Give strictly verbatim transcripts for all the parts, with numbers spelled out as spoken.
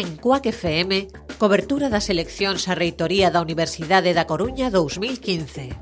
En Cuac F M, cobertura das eleccións á reitoría da Universidade da Coruña dous mil quince.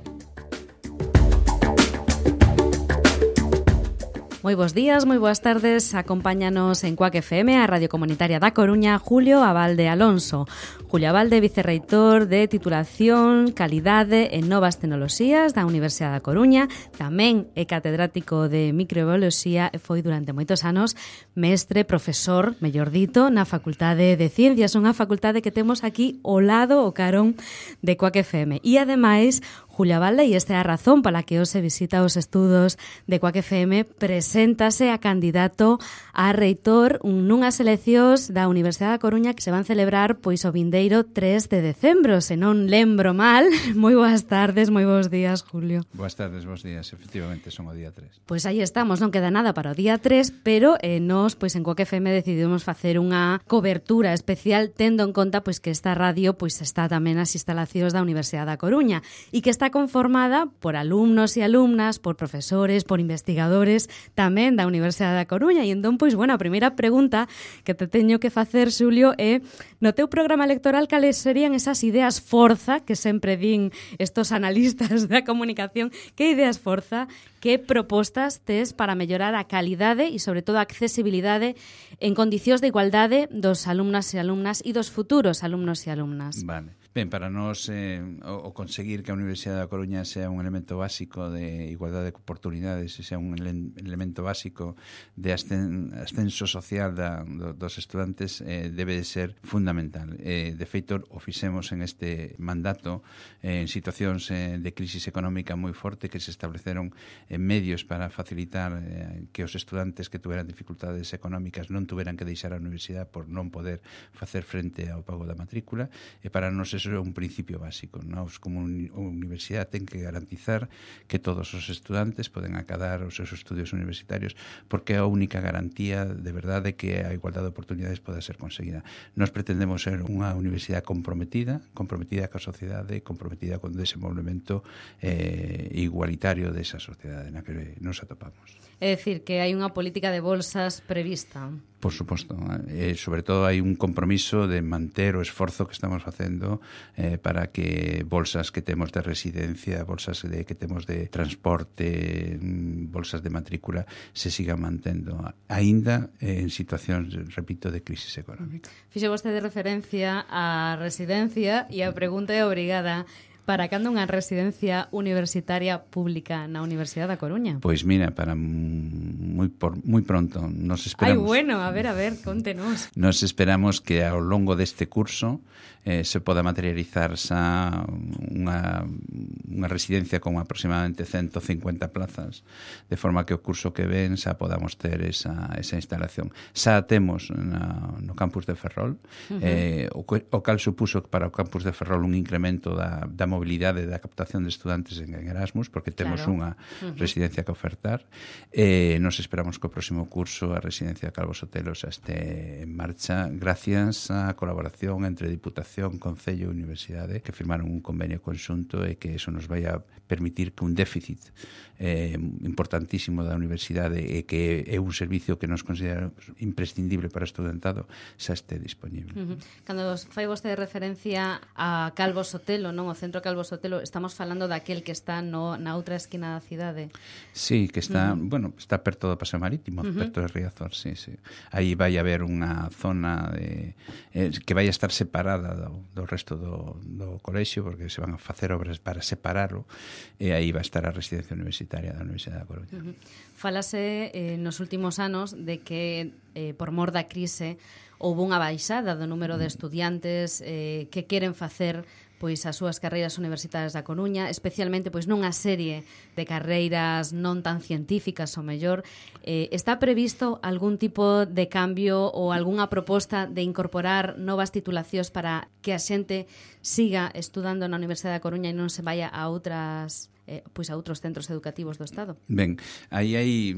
Moi bons días, moi boas tardes. Acompáñanos en Cuac F M, a Radio Comunitaria da Coruña, Julio Abalde Alonso. Julio Abalde, vicerreitor de titulación, calidade e novas tecnoloxías da Universidade da Coruña. Tamén é catedrático de microbioloxía e foi durante moitos anos mestre, profesor, mellor dito, na Facultade de Ciencias, unha facultade que temos aquí ao lado, o carón de Cuac F M. E ademais, Julio Abalde, e esta é a razón para que hoxe visita os estudos de Cuac F M, preséntase a candidato a reitor nunhas eleccións da Universidade da Coruña que se van celebrar pois o vindeiro tres de decembro, se non lembro mal. Moi boas tardes, moi bons días, Julio. Boas tardes, bons días, efectivamente son o día tres. Pois aí estamos, non queda nada para o día tres, pero eh, nós pois en Cuac F M decidimos facer unha cobertura especial tendo en conta pois que esta radio pois está tamén nas instalacións da Universidade da Coruña e que está conformada por alumnos e alumnas, por profesores, por investigadores tamén da Universidade da Coruña. E entón, pois, bueno, a primeira pregunta que te teño que facer, Xulio, é no teu programa electoral cales serían esas ideas forza que sempre din estos analistas da comunicación, que ideas forza, que propostas tes para mellorar a calidade e, sobre todo, a accesibilidade en condicións de igualdade dos alumnas e alumnas e dos futuros alumnos e alumnas? Vale. Ben, para nós eh, o, o conseguir que a Universidade da Coruña sea un elemento básico de igualdade de oportunidades e sea un ele elemento básico de ascen ascenso social da, do, dos estudantes eh, debe de ser fundamental. Eh, de feito, o fixemos en este mandato eh, en situacións eh, de crisis económica moi forte que se estableceron eh, medios para facilitar eh, que os estudantes que tuveran dificultades económicas non tuveran que deixar a universidade por non poder facer frente ao pago da matrícula, e para nós eso é un principio básico. Nós, como universidade, ten que garantizar que todos os estudantes poden acadar os seus estudios universitarios, porque é a única garantía de verdade que a igualdade de oportunidades poda ser conseguida. Nós pretendemos ser unha universidade comprometida, comprometida ca sociedade, comprometida con desenvolvemento eh, igualitario desa sociedade na que nos atopamos. É dicir, que hai unha política de bolsas prevista. Por suposto, eh, sobre todo hai un compromiso de manter o esforzo que estamos facendo eh, para que bolsas que temos de residencia, bolsas de, que temos de transporte, bolsas de matrícula se sigan mantendo, aínda eh, en situacións, repito, de crisis económica. Fixe vostede referencia á residencia e a pregunta é obrigada: para cando unha residencia universitaria pública na Universidade da Coruña? Pois mira, para moi por moi pronto. Nos esperamos. Ai, bueno, a ver, a ver, contenos. Nos esperamos que ao longo deste curso eh, se poda materializar xa unha, unha residencia con aproximadamente ciento cincuenta plazas, de forma que o curso que ven xa podamos ter esa, esa instalación. Xa temos na, no campus de Ferrol, uh-huh. eh, o, o cal supuso para o campus de Ferrol un incremento da, da mobilidade da captación de estudantes en Erasmus, porque temos claro. unha uh-huh. residencia que ofertar. Eh, nos esperamos que o próximo curso a residencia de Calvo Sotelo xa este en marcha, gracias á colaboración entre Diputación, Concello e Universidade, que firmaron un convenio conxunto e que eso nos vai a permitir que un déficit eh, importantísimo da universidade e que é un servicio que nos consideramos imprescindible para o estudantado xa este disponible. Uh-huh. Cando fai vostede referencia a Calvo Sotelo, non, o centro Calvo Sotelo, estamos falando daquel que está no, na outra esquina da cidade. Sí, que está, uh-huh. bueno, está perto do Paseo Marítimo, uh-huh. perto de Riazor, sí, sí. Aí vai haber unha zona de, eh, que vai a estar separada do, do resto do, do colexio, porque se van a facer obras para separarlo, e aí vai estar a residencia universitaria da Universidade da Coruña. Uh-huh. Falase eh, nos últimos anos de que eh, por mor da crise houve unha baixada do número de estudiantes eh, que queren facer pois as súas carreiras universitarias da Coruña, especialmente pois nunha serie de carreiras non tan científicas ou mellor. Eh, está previsto algún tipo de cambio ou algunha proposta de incorporar novas titulacións para que a xente siga estudando na Universidade da Coruña e non se vaya a outras eh, pois a outros centros educativos do Estado. Ben, aí hai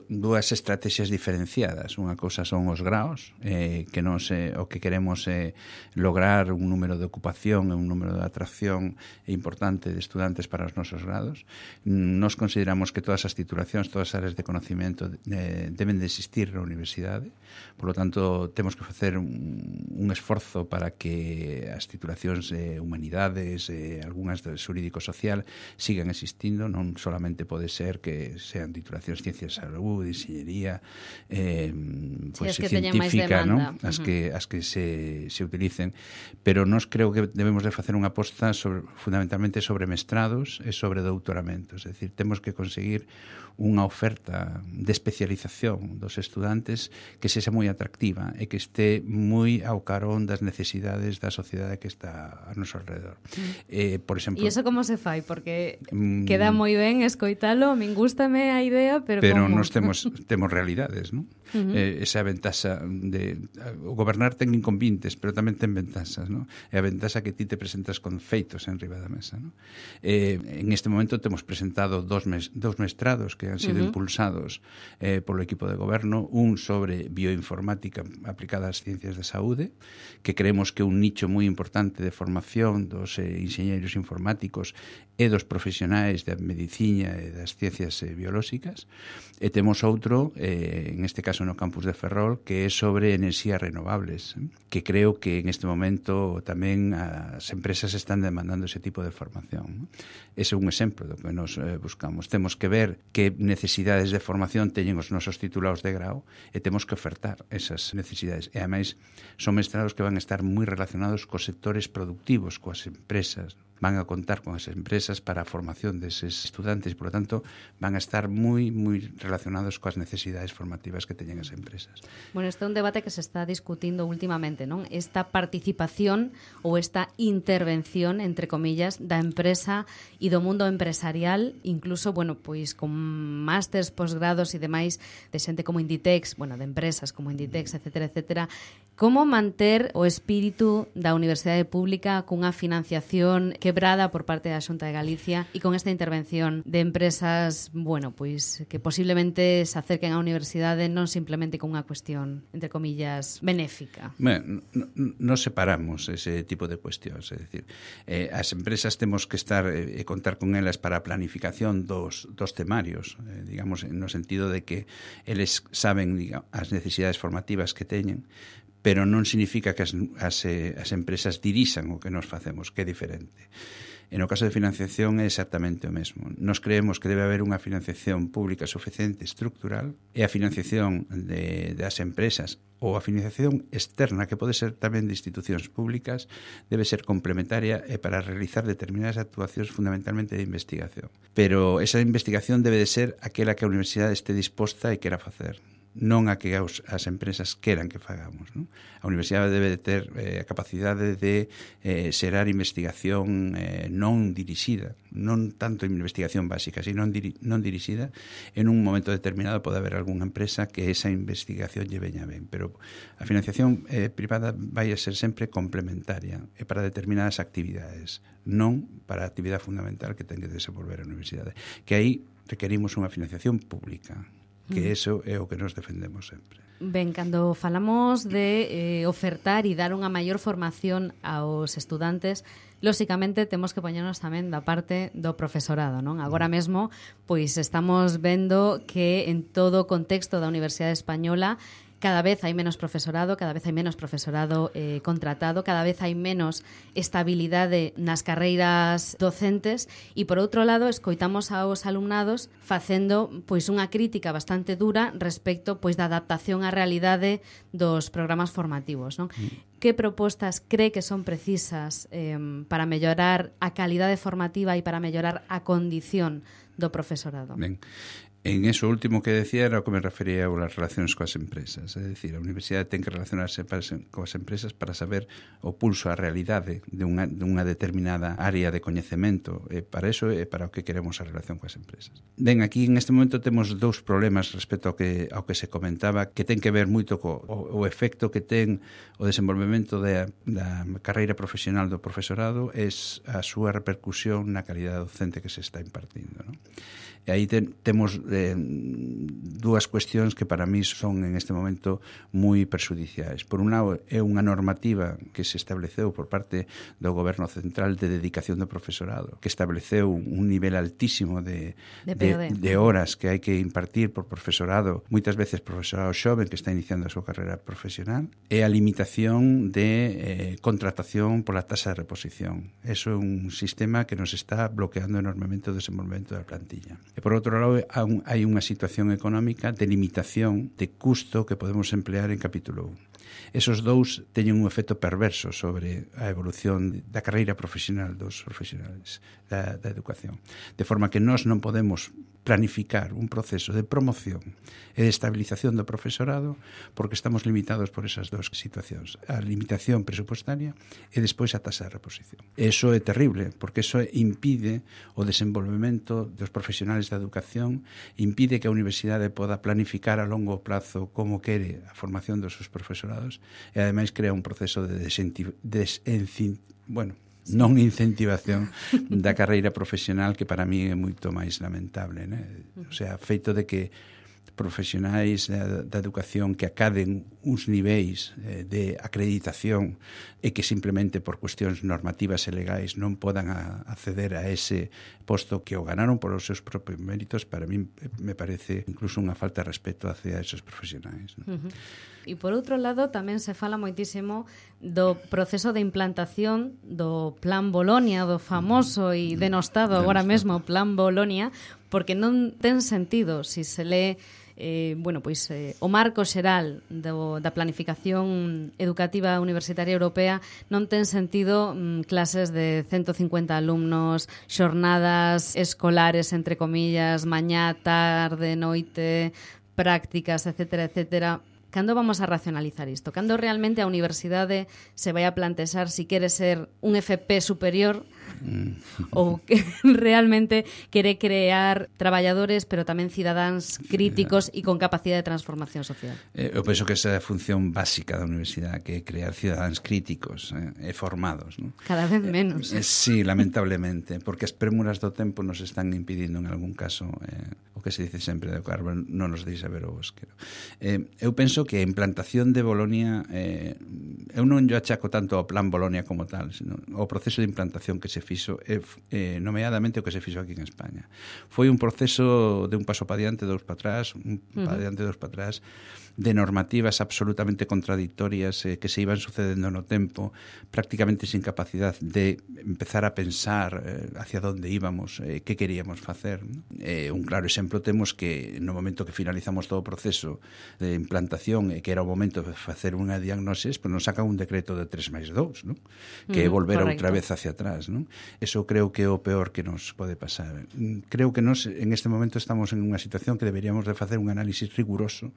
dúas estrategias diferenciadas. Unha cousa son os graos, eh, que nos, eh, o que queremos é eh, lograr un número de ocupación e un número de atracción importante de estudantes para os nosos grados. Nos consideramos que todas as titulacións, todas as áreas de conocimiento eh, deben de existir na universidade. Por lo tanto, temos que facer un, un esforzo para que as titulacións de humanidades, eh, algunhas de xurídico-social, sigan existindo. Non solamente pode ser que sean titulacións ciencias de salud, enxeñería, eh, pues, sí, científica, ¿no? As uh-huh. que as que se, se utilicen, pero nós creo que debemos de facer unha aposta sobre, fundamentalmente sobre mestrados e sobre doutoramentos, é dicir, temos que conseguir unha oferta de especialización dos estudantes que sexa moi atractiva e que esté moi ao carón das necesidades da sociedade que está a noso alrededor. Mm. Eh, por exemplo, e iso como se fai? Porque mm, queda moi ben escoitalo, min gústame a idea, pero pero como? Nos temos temos realidades, non? Uh-huh. Eh, esa ventaxa de o gobernar ten inconvenientes, pero tamén ten ventaxas, non? É a ventaxa que ti te presentas con feitos en riba da mesa, non? Eh, en este momento temos presentado dos mes, dos mestrados que han sido uh-huh. impulsados eh, polo equipo de goberno, un sobre bioinformática aplicada ás ciencias de saúde, que creemos que é un nicho moi importante de formación dos eh, enxeñeiros informáticos e dos profesionais da medicina e das ciencias eh, biolóxicas, e temos outro, eh, en este caso no campus de Ferrol, que é sobre enerxías renovables, eh, que creo que en este momento tamén as empresas están demandando ese tipo de formación. Ese é un exemplo do que nos eh, buscamos. Temos que ver que necesidades de formación teñen os nosos titulados de grau e temos que ofertar esas necesidades. E, ademais, son mestrados que van a estar moi relacionados cos sectores productivos, coas empresas, van a contar con as empresas para a formación deses estudantes e, por lo tanto, van a estar moi, moi relacionados coas necesidades formativas que teñen as empresas. Bueno, este é un debate que se está discutindo últimamente, non? Esta participación ou esta intervención, entre comillas, da empresa e do mundo empresarial, incluso, bueno, pois con másters, posgrados e demais de xente como Inditex, bueno, de empresas como Inditex, etcétera, etcétera. Como manter o espírito da Universidade Pública cunha financiación quebrada por parte da Xunta de Galicia e con esta intervención de empresas, bueno, pois que posiblemente se acerquen á universidade non simplemente con unha cuestión, entre comillas, benéfica? Bueno, nos separamos ese tipo de cuestións, é dicir, eh, as empresas temos que estar e eh, contar con elas para a planificación dos, dos temarios, eh, digamos, no sentido de que eles saben, digamos, as necesidades formativas que teñen, pero non significa que as, as, as empresas dirixan o que nos facemos, que é diferente. En o caso de financiación é exactamente o mesmo. Nos creemos que debe haber unha financiación pública suficiente estructural e a financiación de, das empresas ou a financiación externa, que pode ser tamén de institucións públicas, debe ser complementaria e para realizar determinadas actuacións fundamentalmente de investigación. Pero esa investigación debe de ser aquela que a universidade este disposta e quera facer, non a que as, as empresas queran que fagamos, non? A universidade debe de ter eh, a capacidade de eh, xerar investigación eh, non dirixida, non tanto investigación básica, sino non, diri, non dirixida. En un momento determinado pode haber algunha empresa que esa investigación lle veña ben, pero a financiación eh, privada vai a ser sempre complementaria e para determinadas actividades, non para a actividade fundamental que ten que desenvolver a universidade, que aí requerimos unha financiación pública, que eso é o que nos defendemos sempre. Ben, cando falamos de eh, ofertar e dar unha maior formación aos estudantes, lóxicamente temos que poñernos tamén da parte do profesorado, non? Agora mesmo, pois estamos vendo que en todo o contexto da Universidade Española cada vez hai menos profesorado, cada vez hai menos profesorado eh, contratado, cada vez hai menos estabilidade nas carreiras docentes e, por outro lado, escoitamos aos alumnados facendo pois unha crítica bastante dura respecto pois da adaptación á realidade dos programas formativos, non? Mm. Que propostas cree que son precisas eh, para mellorar a calidade formativa e para mellorar a condición do profesorado? Ben, En eso último que decía era o que me refería as relacións coas empresas. É dicir, a universidade ten que relacionarse coas empresas para saber o pulso, a realidade de unha, de unha determinada área de coñecemento. E para eso é para o que queremos a relación coas empresas. Ben, aquí en este momento temos dous problemas respecto ao que, ao que se comentaba, que ten que ver moito co o, o efecto que ten o desenvolvemento de, da carreira profesional do profesorado é a súa repercusión na calidade docente que se está impartindo, non? E aí ten, temos eh, dúas cuestións que para mí son en este momento moi perxudiciais. Por un lado, é unha normativa que se estableceu por parte do Goberno Central de dedicación do profesorado, que estableceu un nivel altísimo de, de, de, de horas que hai que impartir por profesorado, moitas veces profesorado xoven que está iniciando a súa carreira profesional, e a limitación de eh, contratación pola tasa de reposición. Eso é un sistema que nos está bloqueando enormemente o desenvolvemento da plantilla. E por outro lado, hai unha situación económica de limitación de custo que podemos emplear en capítulo un. Esos dous teñen un efecto perverso sobre a evolución da carreira profesional dos profesionales da, da educación. De forma que nós non podemos planificar un proceso de promoción e de estabilización do profesorado porque estamos limitados por esas dúas situacións. A limitación presupuestaria e despois a tasa de reposición. Eso é terrible porque eso impide o desenvolvemento dos profesionales da educación, impide que a universidade poda planificar a longo plazo como quere a formación dos seus profesorados e ademais crea un proceso de desencin... bueno, non incentivación da carreira profesional que para mí é moito máis lamentable, né? O sea, feito de que profesionais da, da educación que acaden uns niveis eh, de acreditación e que simplemente por cuestións normativas e legais non podan a, acceder a ese posto que o ganaron por os seus propios méritos, para mí me parece incluso unha falta de respeto hacia esos profesionais, ¿no? Uh-huh. E por outro lado tamén se fala moitísimo do proceso de implantación do Plan Bolonia, do famoso e denostado agora mesmo Plan Bolonia, porque non ten sentido se se lee eh, bueno, pois, eh, o marco xeral do, da planificación educativa universitaria europea, non ten sentido mm, clases de ciento cincuenta alumnos, xornadas escolares, entre comillas, mañá, tarde, noite, prácticas, etcétera, etcétera. Cando vamos a racionalizar isto? Cando realmente a universidade se vai a plantexar si quere ser un F P superior ou que realmente quere crear traballadores pero tamén cidadáns críticos e con capacidade de transformación social? Eh, eu penso que esa é a función básica da universidade, que é crear cidadáns críticos eh, e formados, ¿no? Cada vez menos. Eh, eh, sí, lamentablemente, porque as prémuras do tempo nos están impidindo en algún caso eh, o que se dice sempre de Carver non nos deixa ver o bosque. Eh, eu penso que a implantación de Bolonia eh, eu non yo achaco tanto ao Plan Bolonia como tal, sino ao proceso de implantación que se fixo eh, eh, nomeadamente o que se fixo aquí en España. Foi un proceso de un paso para diante, dous para atrás, un uh-huh. para diante, dous para atrás, de normativas absolutamente contradictorias eh, que se iban sucedendo no tempo, prácticamente sin capacidade de empezar a pensar eh, hacia onde íbamos, eh, que queríamos facer, ¿no? Eh, un claro exemplo temos que no momento que finalizamos todo o proceso de implantación e eh, que era o momento de facer unha diagnosis, pues nos sacan un decreto de tres máis dous, ¿no? Que é volver correcto. Outra vez hacia atrás, ¿no? Eso creo que é o peor que nos pode pasar. Creo que nos en este momento estamos en unha situación que deberíamos de facer un análisis riguroso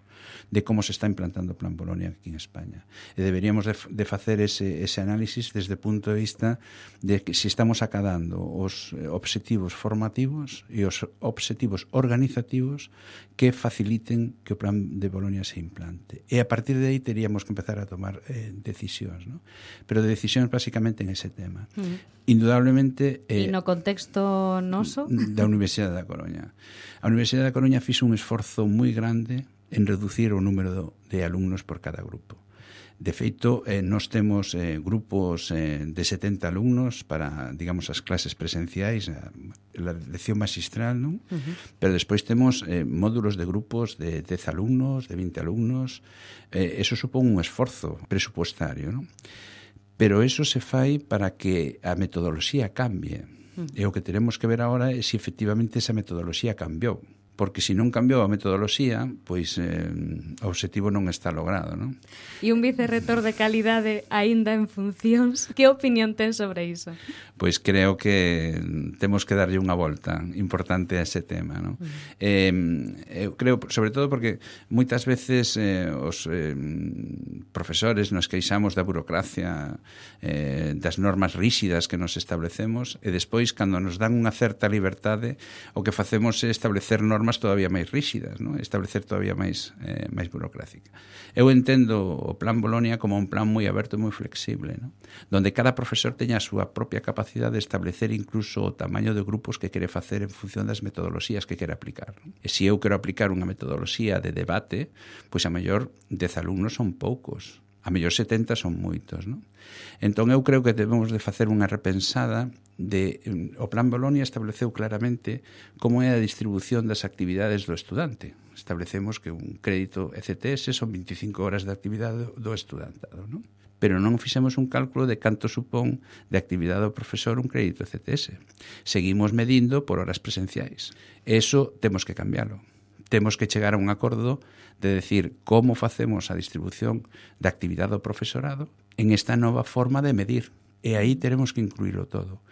de como se está implantando o Plan Bolonia aquí en España. E deberíamos de, de facer ese, ese análisis desde o punto de vista de que se estamos acadando os obxectivos formativos e os obxectivos organizativos que faciliten que o Plan de Bolonia se implante. E a partir de aí teríamos que empezar a tomar eh, decisións, ¿no? Pero de decisións basicamente en ese tema. Uh-huh. Indudablemente... Eh, e no contexto noso? Da Universidade da Coruña. A Universidade da Coruña fixo un esforzo moi grande en reducir o número de alumnos por cada grupo. De feito, eh, nós temos eh, grupos eh, de setenta alumnos para, digamos, as clases presenciais, a, a lección magistral, non? Uh-huh. Pero despois temos eh, módulos de grupos de dez alumnos, de vinte alumnos. Eh, eso supón un esforzo presupuestario, non? Pero eso se fai para que a metodoloxía cambie. Uh-huh. E o que tenemos que ver agora é se efectivamente esa metodoloxía cambiou. porque se non cambiou a metodoloxía, pois eh, o obxectivo non está logrado, non? E un vicerrector de calidade aínda en funcións, que opinión ten sobre iso? Pois creo que temos que darlle unha volta importante a ese tema, non? Uh-huh. Eh, eu creo, sobre todo porque moitas veces eh, os eh, profesores nos queixamos da burocracia, eh, das normas ríxidas que nos establecemos, e despois, cando nos dan unha certa liberdade, o que facemos é establecer normas todavía máis ríxidas, non? Establecer todavía máis, eh, máis burocrática. Eu entendo o Plan Bolonia como un plan moi aberto e moi flexible, non? Donde cada profesor teña a súa propia capacidade de establecer incluso o tamaño de grupos que quere facer en función das metodoloxías que quere aplicar, non? E se eu quero aplicar unha metodoloxía de debate, pois a mellor dez alumnos son poucos, a mellor setenta son moitos, non? Entón eu creo que debemos de facer unha repensada de, o Plan Bolonia estableceu claramente como é a distribución das actividades do estudante. Establecemos que un crédito E C T S son veinticinco horas de actividade do estudantado, non? Pero non fixemos un cálculo de canto supón de actividade do profesor un crédito E C T S. Seguimos medindo por horas presenciais. Eso temos que cambiarlo. Temos que chegar a un acordo de decir como facemos a distribución da actividade do profesorado en esta nova forma de medir. E aí teremos que incluílo todo.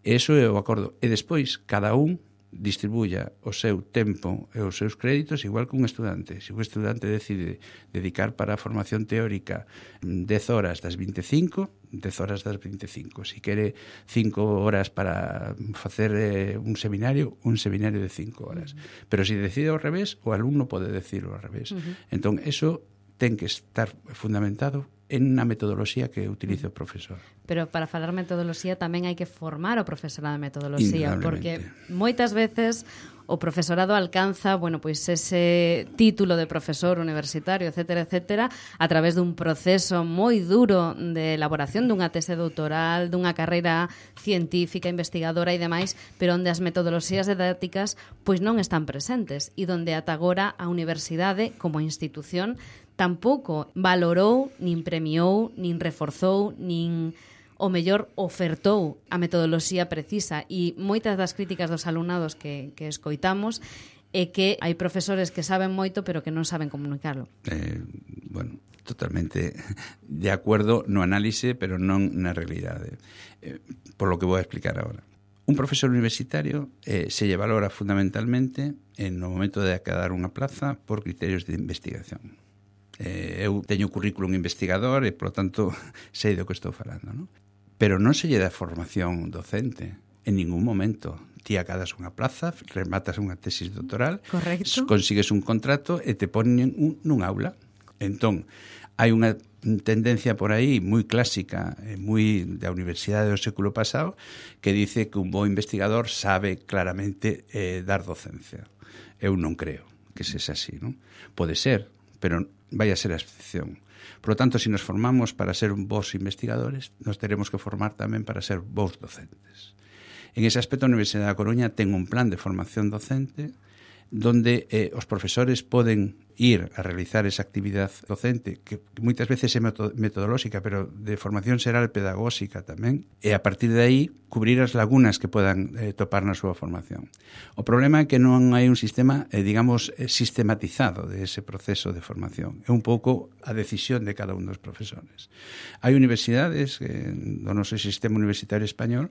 Eso é o acordo. E despois, cada un distribuya o seu tempo e os seus créditos igual que un estudante. Se un estudante decide dedicar para a formación teórica dez horas das veinticinco, dez horas das veinticinco. Se quere cinco horas para facer eh, un seminario, un seminario de cinco horas. Uh-huh. Pero se decide ao revés, o alumno pode decirlo ao revés. Uh-huh. Entón, eso ten que estar fundamentado en unha metodoloxía que utilice o profesor. Pero para falar metodoloxía tamén hai que formar o profesorado de metodoloxía, porque moitas veces o profesorado alcanza, bueno, pois ese título de profesor universitario, etcétera, etcétera, a través dun proceso moi duro de elaboración dunha tese doutoral, dunha carreira científica, investigadora e demais, pero onde as metodoloxías didácticas pois non están presentes e donde ata agora a universidade como institución tampouco valorou, nin premiou, nin reforzou, nin o mellor ofertou a metodoloxía precisa, e moitas das críticas dos alumnados que, que escoitamos é que hai profesores que saben moito pero que non saben comunicarlo. Eh, bueno, totalmente de acordo no análise, pero non na realidade. Eh, por lo que vou a explicar agora. Un profesor universitario eh, se lle valora fundamentalmente en no momento de acadar unha plaza por criterios de investigación. Eh, eu teño currículum investigador e, polo tanto, sei do que estou falando, non? Pero non se lle dá formación docente en ningún momento. Ti acadas unha plaza, rematas unha tesis doctoral, correcto, consigues un contrato e te ponen un, nun aula. Entón, hai unha tendencia por aí moi clásica, moi da universidade do século pasado, que dice que un bo investigador sabe claramente eh, dar docencia. Eu non creo que sexa así, non? Pode ser, pero vai a ser a excepción. Por lo tanto, se nos formamos para ser bons investigadores, nos teremos que formar tamén para ser bons docentes. En ese aspecto, a Universidade da Coruña ten un plan de formación docente donde eh, os profesores poden ir a realizar esa actividade docente, que moitas veces é metodolóxica, pero de formación xeral pedagóxica tamén, e a partir de aí cubrir as lagunas que podan eh, topar na súa formación. O problema é que non hai un sistema, eh, digamos, sistematizado de ese proceso de formación. É un pouco a decisión de cada un dos profesores. Hai universidades eh, do noso sistema universitario español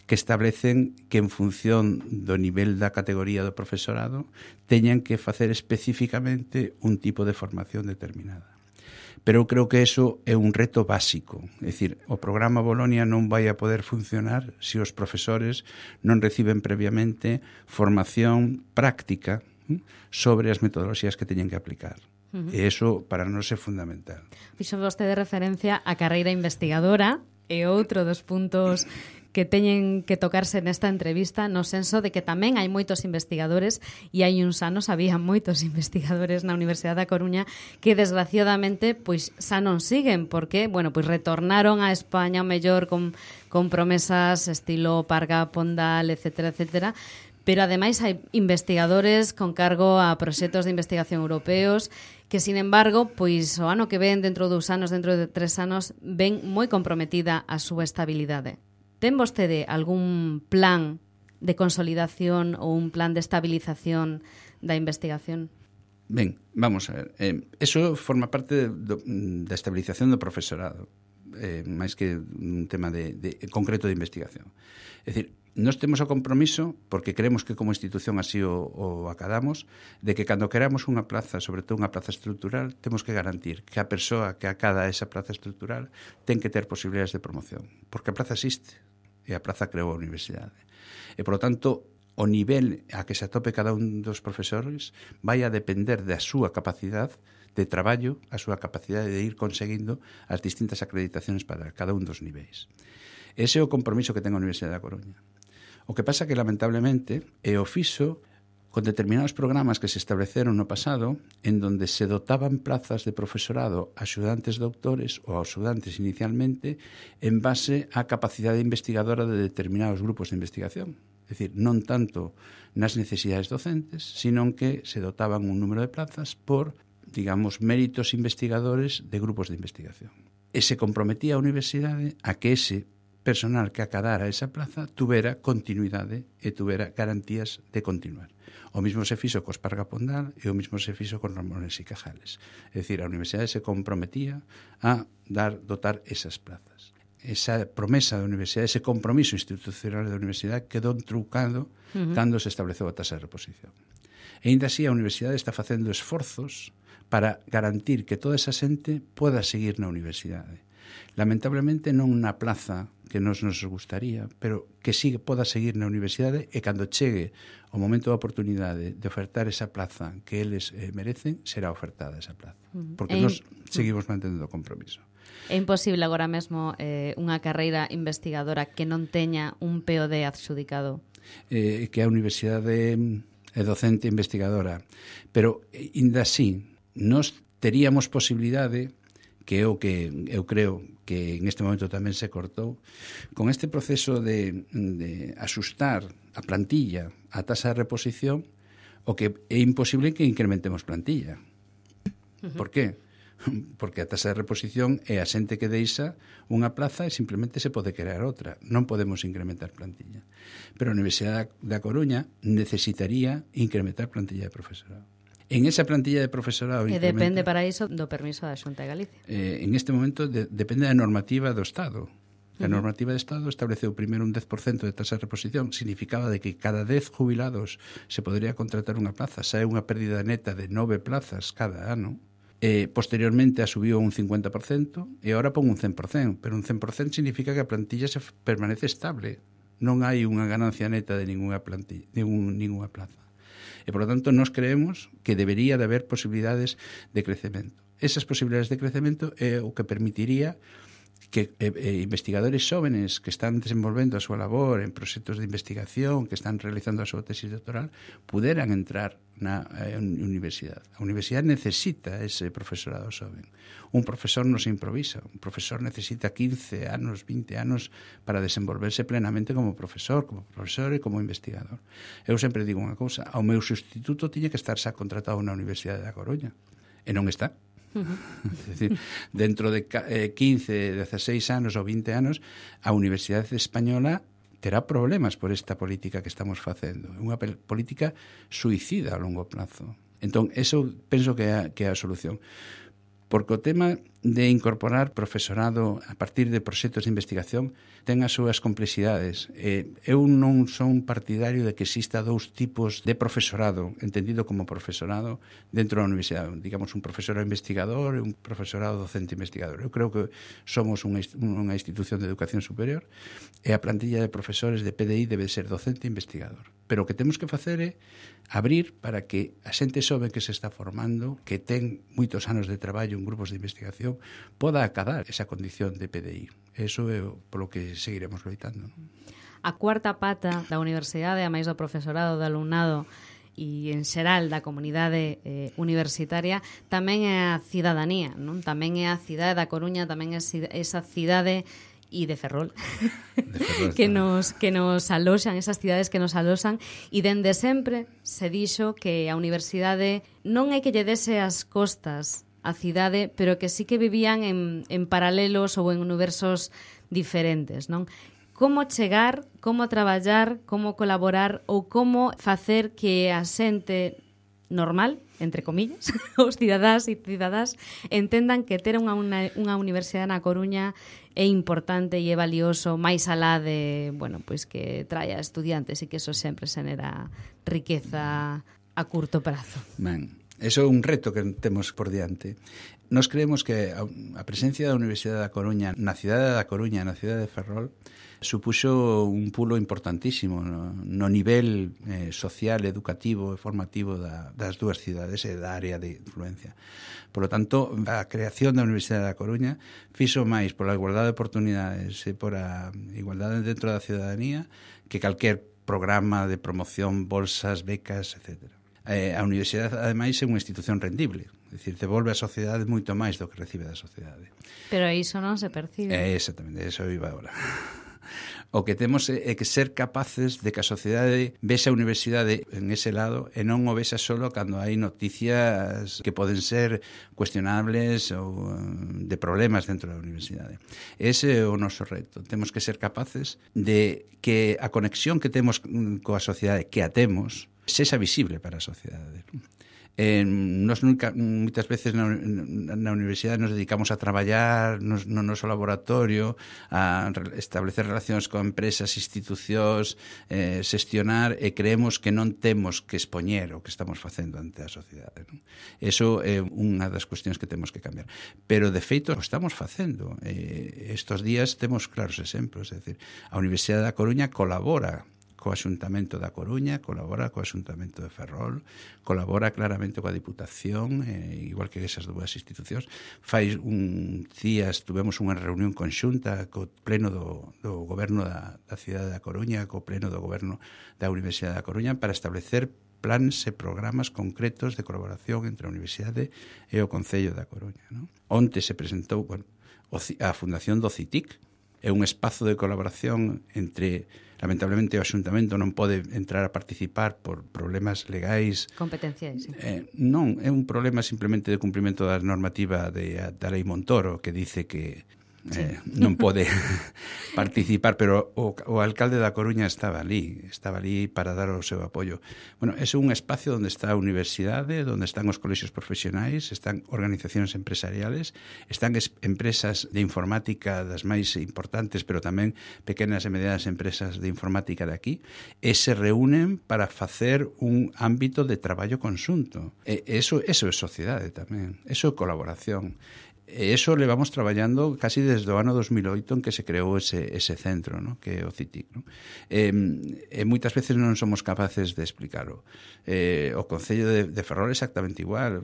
que establecen que en función do nivel da categoría do profesorado teñan que facer especificamente un tipo de formación determinada. Pero eu creo que eso é un reto básico. É dicir, o programa Bolonia non vai a poder funcionar se os profesores non reciben previamente formación práctica sobre as metodoloxías que teñen que aplicar. Uh-huh. E iso para nós é fundamental. Fixo vostede referencia á carreira investigadora e outro dos puntos que teñen que tocarse nesta entrevista, no senso de que tamén hai moitos investigadores, e hai uns anos había moitos investigadores na Universidade da Coruña que desgraciadamente pois xa non siguen, porque, bueno, pois retornaron a España o mellor con, con promesas estilo Parga, Pondal, etcétera, etcétera, pero ademais hai investigadores con cargo a proxectos de investigación europeos que, sin embargo, pois o ano que ven, dentro de dous anos, dentro de tres anos, ven moi comprometida a súa estabilidade. Ten vostede algún plan de consolidación ou un plan de estabilización da investigación? Ben, vamos a ver. Eh, eso forma parte do, da estabilización do profesorado, eh, máis que un tema de, de, concreto de investigación. É dicir, nós temos o compromiso, porque creemos que como institución así o, o acadamos, de que cando queramos unha plaza, sobre todo unha plaza estrutural, temos que garantir que a persoa que acada esa plaza estrutural ten que ter posibilidades de promoción, porque a plaza existe e a plaza creou a universidade. E, por lo tanto, o nivel a que se atope cada un dos profesores vai a depender da súa capacidade de traballo, a súa capacidade de ir conseguindo as distintas acreditacións para cada un dos niveis. Ese é o compromiso que ten a Universidade da Coruña. O que pasa que, lamentablemente, é o fixo con determinados programas que se estableceron no pasado en donde se dotaban plazas de profesorado a axudantes doutores ou a axudantes inicialmente en base á capacidade investigadora de determinados grupos de investigación. É dicir, non tanto nas necesidades docentes, sino que se dotaban un número de plazas por, digamos, méritos investigadores de grupos de investigación. E se comprometía a universidade a que ese personal que acadara esa plaza tuvera continuidade e tuvera garantías de continuar. O mismo se fixo co Esparga Pondal e o mismo se fixo con Ramones y Cajales. É dicir, a universidade se comprometía a dar, dotar esas plazas. Esa promesa da universidade, ese compromiso institucional da universidade quedou trucado uh-huh. cando se estableceu a taxa de reposición. E ainda así a universidade está facendo esforzos para garantir que toda esa xente poda seguir na universidade. Lamentablemente non na plaza que nos nos gustaría, pero que sí poda seguir na universidade e cando chegue o momento da oportunidade de ofertar esa plaza que eles eh, merecen, será ofertada esa plaza. Porque e nos seguimos mantendo o compromiso. É imposible agora mesmo eh, unha carreira investigadora que non teña un P O D adxudicado? Eh, que a universidade é docente investigadora, pero ainda así, nos teríamos posibilidade, que é o que eu creo que en este momento tamén se cortou, con este proceso de, de asustar a plantilla a taxa de reposición, o que é imposible que incrementemos plantilla. Uh-huh. Por qué? Porque a taxa de reposición é a xente que deixa unha plaza e simplemente se pode crear outra. Non podemos incrementar plantilla. Pero a Universidade da Coruña necesitaría incrementar plantilla de profesorado. En esa plantilla de profesorado... E depende para iso do permiso da Xunta de Galicia. Eh, en este momento de, depende da normativa do Estado. A normativa do Estado estableceu primeiro un dez por cento de taxa de reposición. Significaba de que cada dez jubilados se podría contratar unha plaza. Xa é unha pérdida neta de nove plazas cada ano. Eh, posteriormente a subiu un cincuenta por cento e agora pon un cen por cento. Pero un cen por cento significa que a plantilla se permanece estable. Non hai unha ganancia neta de ninguna, plantilla, de un, ninguna plaza. E, por lo tanto, nós creemos que debería de haber posibilidades de crecemento. Esas posibilidades de crecemento é o que permitiría que eh, investigadores xóvenes que están desenvolvendo a súa labor en proxectos de investigación, que están realizando a súa tesis doctoral, puderan entrar na eh, universidade. A universidade necesita ese profesorado xoven. Un profesor non se improvisa. Un profesor necesita quince anos, vinte anos para desenvolverse plenamente como profesor, como profesor e como investigador. Eu sempre digo unha cousa, ao meu sustituto tiña que estar xa contratado na Universidade da Coruña. E non está. Uh-huh. É dicir, dentro de quince, dezasseis anos ou vinte anos a Universidade Española terá problemas por esta política que estamos facendo. É unha política suicida a longo plazo. Entón, eso penso que é, que é a solución. Porque o tema de incorporar profesorado a partir de proxectos de investigación ten as súas complexidades. Eh, eu non son partidario de que exista dous tipos de profesorado, entendido como profesorado dentro da universidade. Digamos, un profesorado investigador e un profesorado docente investigador. Eu creo que somos unha, unha institución de educación superior e a plantilla de profesores de P D I debe ser docente e investigador. Pero o que temos que facer é abrir para que a xente xoven que se está formando, que ten moitos anos de traballo en grupos de investigación, poda acadar esa condición de P D I. Eso é polo que seguiremos loitando. A cuarta pata da universidade, a máis do profesorado, do alumnado e en xeral da comunidade eh, universitaria, tamén é a cidadanía, non? Tamén é a cidade da Coruña, tamén é esa cidade e de Ferrol, de Ferrol que nos que nos aloxan, esas cidades que nos aloxan, e dende sempre se dixo que a universidade non é que lle dese as costas a cidade, pero que sí que vivían en, en paralelos ou en universos diferentes, non? Como chegar, como traballar, como colaborar ou como facer que a xente normal, entre comillas, os cidadáns e cidadás entendan que ter unha, unha, unha universidade na Coruña é importante e é valioso máis alá de, bueno, pois que traia estudiantes e que eso sempre xenera riqueza a curto prazo. Ben, eso é un reto que temos por diante. Nos creemos que a presencia da Universidade da Coruña na cidade da Coruña, na cidade de Ferrol, supuxo un pulo importantísimo no, no nivel eh, social, educativo e formativo da, das dúas cidades e da área de influencia. Por lo tanto, a creación da Universidade da Coruña fixo máis pola igualdade de oportunidades e por a igualdade dentro da ciudadanía que calquer programa de promoción, bolsas, becas, etcétera. Eh, a Universidade, ademais, é unha institución rendible. É dicir, devolve a sociedade moito máis do que recibe da sociedade. Pero iso non se percibe. Eh, exactamente, eso iba agora. O que temos é que ser capaces de que a sociedade vexa a universidade en ese lado e non o vexa solo cando hai noticias que poden ser cuestionables ou de problemas dentro da universidade. Ese é o noso reto. Temos que ser capaces de que a conexión que temos coa sociedade, que a temos, sexa visible para a sociedade. Eh, nos nunca, moitas veces na, na universidade nos dedicamos a traballar nos, no noso laboratorio, a establecer relacións con empresas, institucións, eh, xestionar, e creemos que non temos que expoñer o que estamos facendo ante a sociedade, non? Eso é unha das cuestións que temos que cambiar. Pero, de feito, o estamos facendo. Eh, estos días temos claros exemplos, é dicir, a Universidade da Coruña colabora co Axuntamento da Coruña, colabora co Axuntamento de Ferrol, colabora claramente coa Diputación, eh, igual que esas dúas institucións. Fai un días tuvemos unha reunión conxunta co pleno do, do goberno da, da cidade da Coruña, co pleno do goberno da Universidade da Coruña, para establecer plans e programas concretos de colaboración entre a Universidade e o Concello da Coruña, non? Onte se presentou, bueno, a Fundación do CITIC, é un espazo de colaboración entre, lamentablemente o Axuntamento non pode entrar a participar por problemas legais. Competenciais, sí. Eh, non, é un problema simplemente de cumprimento da normativa de, da Lei Montoro, que dice que eh, sí. non pode participar, pero o, o alcalde da Coruña estaba ali, estaba ali para dar o seu apoio. Bueno, é un espacio onde está a universidade, onde están os colexios profesionais, están organizacións empresariales, están es, empresas de informática das máis importantes, pero tamén pequenas e medianas empresas de informática de aquí, e se reúnen para facer un ámbito de traballo conxunto. E eso, eso é sociedade tamén, eso é colaboración. E iso levamos traballando casi desde o ano dos mil oito en que se creou ese, ese centro, ¿no? Que é o CITIC, ¿no? E, e moitas veces non somos capaces de explicarlo. Eh, o Concello de, de Ferrol exactamente igual.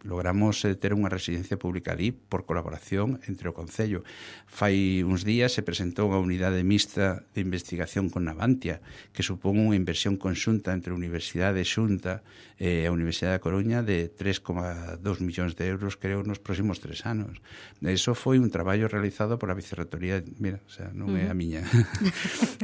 Logramos eh, ter unha residencia pública ali por colaboración entre o Concello. Fai uns días se presentou unha unidade mixta de investigación con Navantia, que supón unha inversión conxunta entre a Universidade Xunta e a Universidade da Coruña de tres coma dos millóns de euros, creo, nos próximos tres anos. Eso foi un traballo realizado por a Vicerrectoría, mira, o sea, non é a miña,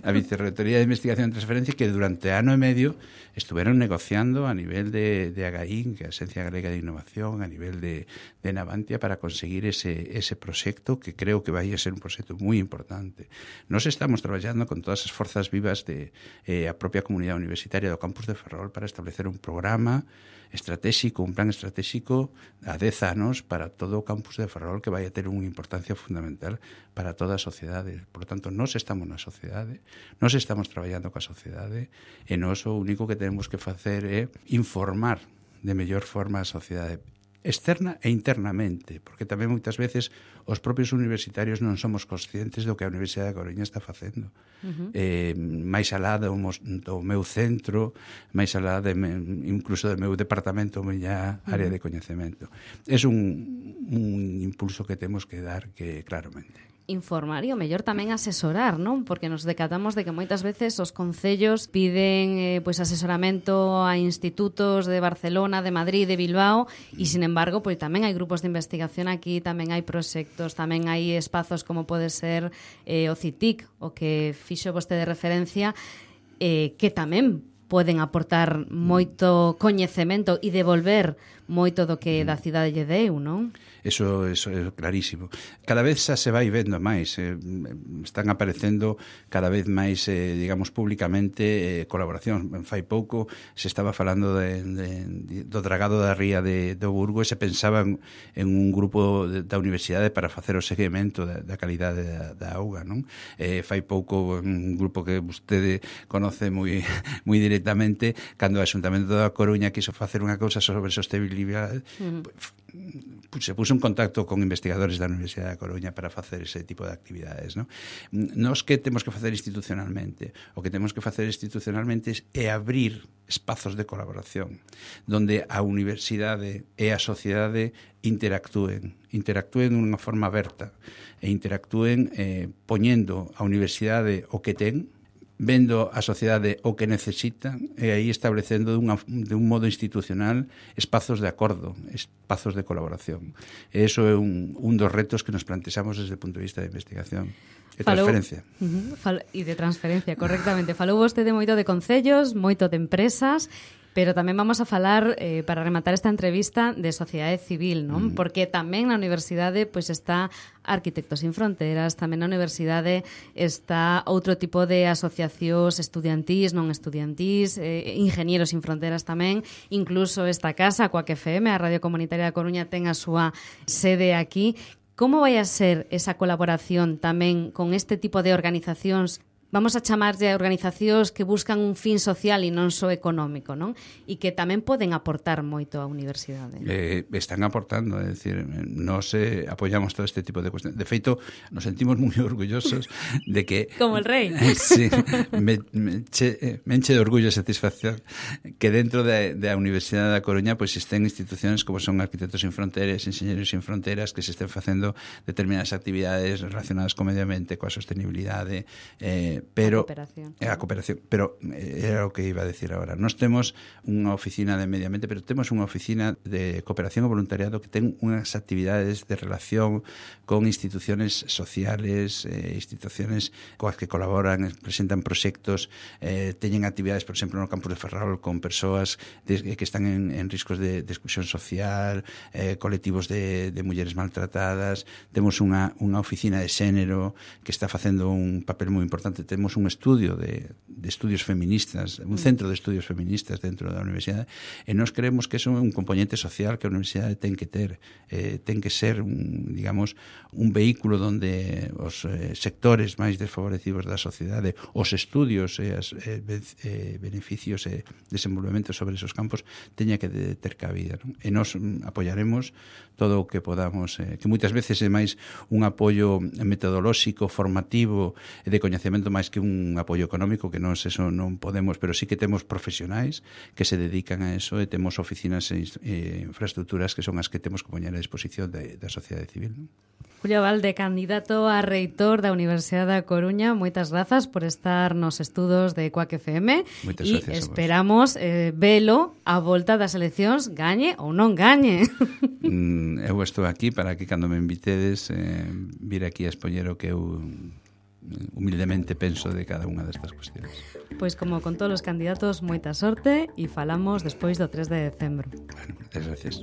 a Vicerrectoría de Investigación e Transferencia, que durante ano e medio estuveron negociando a nivel de, de A G A I N, que é a Agencia Galega de Innovación, a nivel de, de Navantia, para conseguir ese, ese proxecto, que creo que vai a ser un proxecto moi importante. Nos estamos traballando con todas as forzas vivas de eh, a propia comunidade universitaria do campus de Ferrol para establecer un programa estratégico, un plan estratégico a dez anos para todo o campus de Ferrol, que vai a ter unha importancia fundamental para toda a sociedade. Por lo tanto, nós estamos na sociedade, nós estamos traballando coa sociedade, e nós o único que temos que facer é informar de mellor forma a sociedade, externa e internamente, porque tamén moitas veces os propios universitarios non somos conscientes do que a Universidade da Coruña está facendo. Uh-huh. Eh, máis alá do, do meu centro, máis alá de, incluso do meu departamento, a miña área uh-huh. de coñecemento. É un, un impulso que temos que dar, que claramente informar e o mellor tamén asesorar, non? Porque nos decatamos de que moitas veces os concellos piden eh, pois asesoramento a institutos de Barcelona, de Madrid, de Bilbao, e sin embargo, pois tamén hai grupos de investigación aquí, tamén hai proxectos, tamén hai espazos como pode ser eh, o CITIC, o que fixo vostede referencia, eh, que tamén poden aportar moito coñecemento e devolver moito do que da cidade lle deu, non? Eso, eso é clarísimo. Cada vez xa se vai vendo máis, eh, están aparecendo cada vez máis, eh, digamos, públicamente eh, colaboración. Fai pouco se estaba falando de, de, de, do dragado da ría de, do Burgo e se pensaba en, en un grupo de, da universidade para facer o seguimento da, da calidade da, da auga, non? Eh, fai pouco un grupo que vostede conoce moi, moi directamente, cando o Xuntamento da Coruña quiso facer unha cousa sobre sostenibilidade, uh-huh. se puso en contacto con investigadores da Universidade da Coruña para facer ese tipo de actividades, non? Nos que temos que facer institucionalmente, o que temos que facer institucionalmente é abrir espazos de colaboración donde a universidade e a sociedade interactúen, interactúen dunha forma aberta e interactúen eh, poñendo a universidade o que ten, vendo a sociedade o que necesita e aí establecendo dunha, de un modo institucional espazos de acordo, espazos de colaboración. E iso é un, un dos retos que nos plantexamos desde o punto de vista de investigación e Falou, transferencia. Uh-huh, fal, e de transferencia, correctamente. Falou vostede moito de concellos, moito de empresas, pero tamén vamos a falar, eh, para rematar esta entrevista, de sociedade civil, non? Mm. Porque tamén na universidade pois está Arquitectos Sin Fronteras, tamén na universidade está outro tipo de asociacións estudiantís, non estudiantís, eh, Ingenieros Sin Fronteras tamén, incluso esta casa, Quack F M, a Radio Comunitaria da Coruña, ten a súa sede aquí. Como vai a ser esa colaboración tamén con este tipo de organizacións? Vamos a chamarlle a organizacións que buscan un fin social e non só económico, non? E que tamén poden aportar moito á universidade. Eh, están aportando, é dicir, nos eh, apoyamos todo este tipo de cuestiones. De feito, nos sentimos moi orgullosos de que... Como el rei. Sí, me, me, che, me enche de orgullo e satisfacción que dentro da de, de Universidade da Coruña pois pues, estén institucións como son Arquitectos Sin Fronteras, Ingenieros Sin Fronteras, que se estén facendo determinadas actividades relacionadas co medio ambiente, coa sostenibilidade, eh, pero a cooperación. A cooperación, pero era o que iba a decir agora. Nós temos unha oficina de medio ambiente, pero temos unha oficina de cooperación e voluntariado que ten unhas actividades de relación con instituciones sociales, eh, instituciones coas que colaboran, presentan proxectos, eh, teñen actividades, por exemplo, no campus de Ferrol con persoas de, que están en, en riscos de, de exclusión social, eh, colectivos de, de mulleres maltratadas. Temos unha, unha oficina de xénero que está facendo un papel moi importante. Temos un estudio de, de estudios feministas, un centro de estudios feministas dentro da universidade, e nós creemos que é un componente social que a universidade ten que ter, eh, ten que ser un, digamos, un vehículo donde os eh, sectores máis desfavorecidos da sociedade, os estudios e as eh, eh, beneficios e desenvolvementos sobre esos campos teña que de, ter cabida, non? E nós mm, apoyaremos todo o que podamos, eh, que moitas veces é máis un apoio metodolóxico, formativo e de coñecemento máis que un apoio económico, que nós eso non podemos, pero sí que temos profesionais que se dedican a eso e temos oficinas e eh, infraestructuras que son as que temos que poñer a disposición de, da sociedade civil, non? Julio Abalde, candidato a reitor da Universidade da Coruña, moitas grazas por estar nos estudos de Quack F M. Moitas e gracias esperamos eh, velo a volta das eleccións, gañe ou non gañe. Mm, eu estou aquí para que cando me invitedes eh, vir aquí a expoñer o que eu humildemente penso de cada unha destas cuestiones. Pois como con todos os candidatos, moita sorte e falamos despois do tres de decembro. Bueno, moitas gracias.